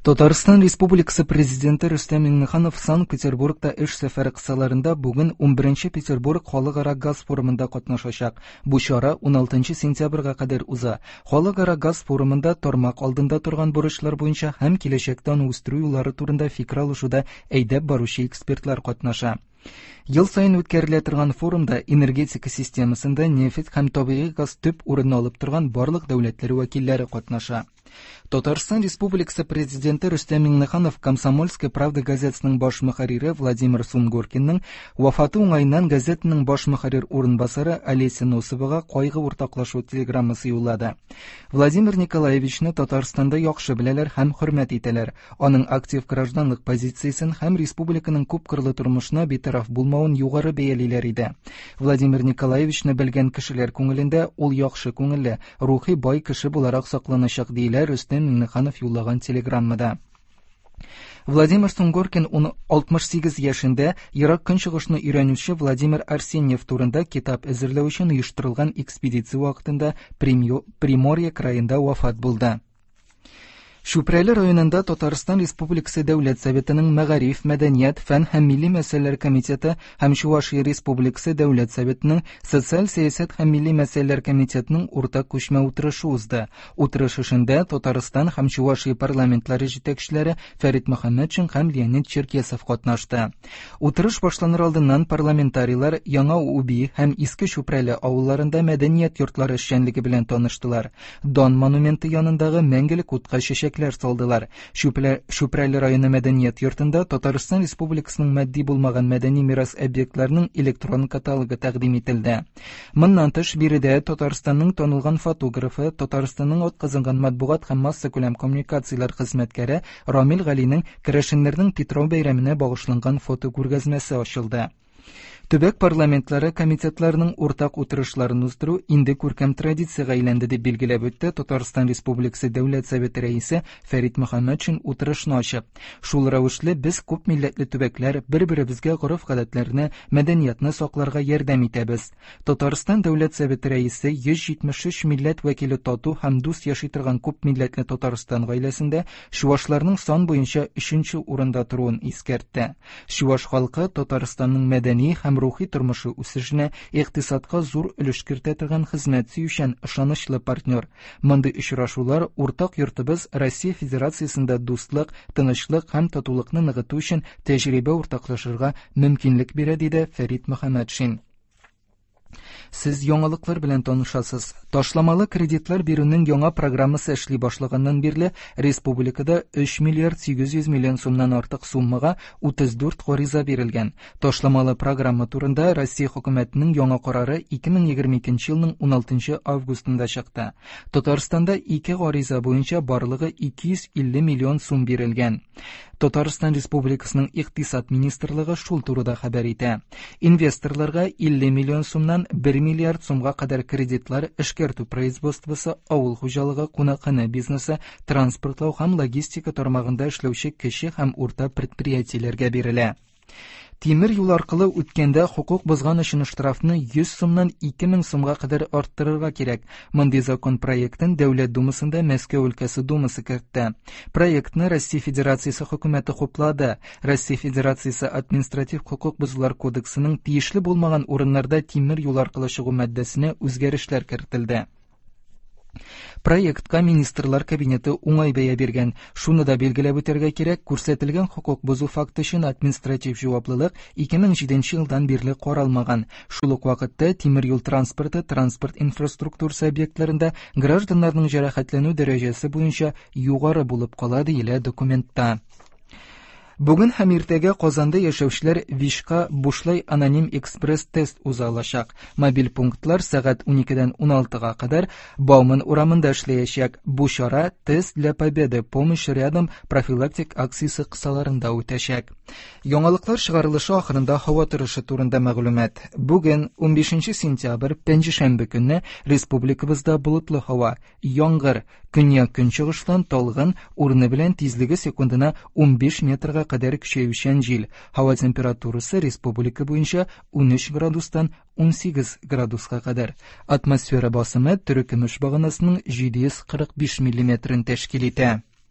Татарстан Республикасы Президенты Рөстәм Миңнеханов Санкт-Петербургта эш сәфәре кысаларында бүген 11 Петербург халыкара газ форумында катнашачак. Бу чара 16 сентябрьгә кадәр уза. Халыкара газ форумында тармак алдында торган бурычлар буенча һәм киләчәктә аны үстерү юллары турында фикер алышуда әйдәп баручы экспертлар катнаша. Ел саен үткәрелә торган форумда энергетика системасында нефть һәм табигый газ төп урынны алып торган барлык дәүләтләр вәкилләре катнаша. Татарстан Республикасы Президенты Рөстәм Миңнеханов Комсомольская правда газетасының баш мөхәррире Владимир Сунгоркинның вафаты уңаеннан газетаның баш мөхәррир урынбасары Олеся Носовага кайгы уртаклашу телеграммасы юллады. Владимир Николаевичны Татарстанда яхшы беләләр һәм хөрмәт итәләр. Аның актив гражданлык позициясен һәм республиканың күпкырлы тормышына битараф булмавын югары бәялиләр иде. Владимир Николаевичны белгән кешеләр күңелендә ул яхшы күңелле, рухи бай кеше буларак сакланачак, диелә Рөстәм Миңнеханов юллаган телеграммада. Владимир Сунгоркин 68 яшендә Ерак Көнчыгышны өйрәнүче Владимир Арсеньев турында китап әзерләү өчен оештырылган экспедиция вакытында Приморье краенда вафат булды. Чүпрәле районында Татарстан Республикасы Дәүләт Советының Мәгариф, мәдәният, фән һәм милли мәсьәләләр комитеты һәм Чувашия Республикасы Дәүләт Советының Социаль сәясәт һәм милли мәсьәләләр комитетының уртак күчмә утырышы узды. Утырыш эшендә Татарстан һәм Чувашия парламентлары җитәкчеләре Фәрит Мөхәммәтшин һәм Леонид Черкесов катнашты. Утырыш башланыр алдыннан парламентарийлар Яңа Уби һәм Иске Чүпрәле авылларында мәдәният йортлары эшчәнлеге белән таныштылар. Дан монументы янындагы мәңгелек утка чәчәкләр салдылар. Чүпрәле районы мәдәният йортында Татарстан Республикасының матди булмаган мәдәни мирас объектларының электрон каталогы тәкъдим ителде. Моннан тыш, биредә Татарстанның танылган фотографы, Татарстанның атказанган матбугат һәм массакүләм коммуникацияләр хезмәткәре Рамил Галинең керәшеннәрнең Питрау бәйрәменә багышланган фотокүргәзмәсе ачылды. Төбәк парламентлары комитетларының уртак утырышларын уздыру инде күркәм традициягә әйләнде, дип билгеләп үтте Татарстан Республикасы Дәүләт Советы Рәисе Фәрит Мөхәммәтшин утырышны ачып. Шул рәвешле без күп милләтле төбәкләр бер-беребезгә гореф-гадәтләрне, мәдәниятны сакларга ярдәм итәбез. Татарстан Дәүләт Советы Рәисе 173 милләт вәкиле тату һәм дус яши торган күп милләтле Татарстан гаиләсендә чувашларның сан буенча өченче урында торуын искәртте. Чуваш халкы Татарстанның мәдәни һәм рухи тормышы үсешенә, икътисадка зур өлеш кертә торган хезмәт сөючән, ышанычлы партнер. Мондый очрашулар уртак йортыбыз Россия Федерациясендә дуслык, тынычлык һәм татулыкны ныгыту өчен тәҗрибә уртаклашырга мөмкинлек бирә, диде Фәрит Мөхәммәтшин. Сез яңалыклар белән танышасыз. Ташламалы кредитлар бирүнең яңа программасы эшли башлаганнан бирле республикада 3 миллиард 800 миллион сумнан артык суммага 34 гариза бирелгән. Ташламалы программа турында Россия хөкүмәтенең яңа карары 2022 елның 16 августында чыкты. Татарстанда ике гариза буенча барлыгы 250 миллион сум бирелгән. Татарстан Республикасының Икътисад министрлыгы шул турыда хәбәр итә. Инвесторларга 50 миллион сумнан 1 миллиард сумга кадәр кредитлар эшкәртү производствосы, авыл хуҗалыгы, кунакханә бизнесы, транспортлау һәм логистика тармагында эшләүче кече һәм урта предприятиеләргә бирелә. Тимер юл аркылы үткәндә хокук бозган өчен штрафны 100 сумнан 2000 сумга кадәр арттырырга кирәк. Мондый закон проектын Дәүләт Думасында Мәскәү өлкәсе Думасы кертте. Проектны Россия Федерациясе хөкүмәте хуплады. Россия Федерациясе административ хокук бозулар кодексының тиешле булмаган урыннарда тимер юл аркылы чыгу маддәсенә үзгәрешләр кертелде. Проектка Министрлар Кабинеты уңай бәя биргән. Шуны да билгеләп үтәргә кирәк, күрсәтелгән хокук бозу факты өчен административ җаваплылык 2007 елдан бирле каралмаган. Шул ук вакытта тимер юл транспорты транспорт инфраструктурасы объектларында гражданнарның җәрәхәтләнү дәрәҗәсе буенча югары булып кала, диелә документта. Бүген һәм иртәгә Казанда яшәүчеләр ВИЧка бушлай аноним экспресс-тест уза алачак. Мобиль пунктлар сәгать 12-дән 16-га кадәр Бауман урамында эшләячәк. Бу чара Тест для победы. Помощь рядом профилактик акциясе кысаларында үтәчәк. Яңалыклар чыгарылышы ахырында һава торышы турында мәгълүмат. Бүген, 15 сентябрь, пәнҗешәмбе көнне республикабызда болытлы һава, яңгыр, көньяк-көнчыгыштан талгын, урыны белән тизлеге секундына 15 метрга кадәр көчәючән җил. Һава температурасы республика буенча 13 градустан 18 градуска кадәр. Атмосфера басымы терекөмеш баганасының 745 миллиметрын тәшкил итә.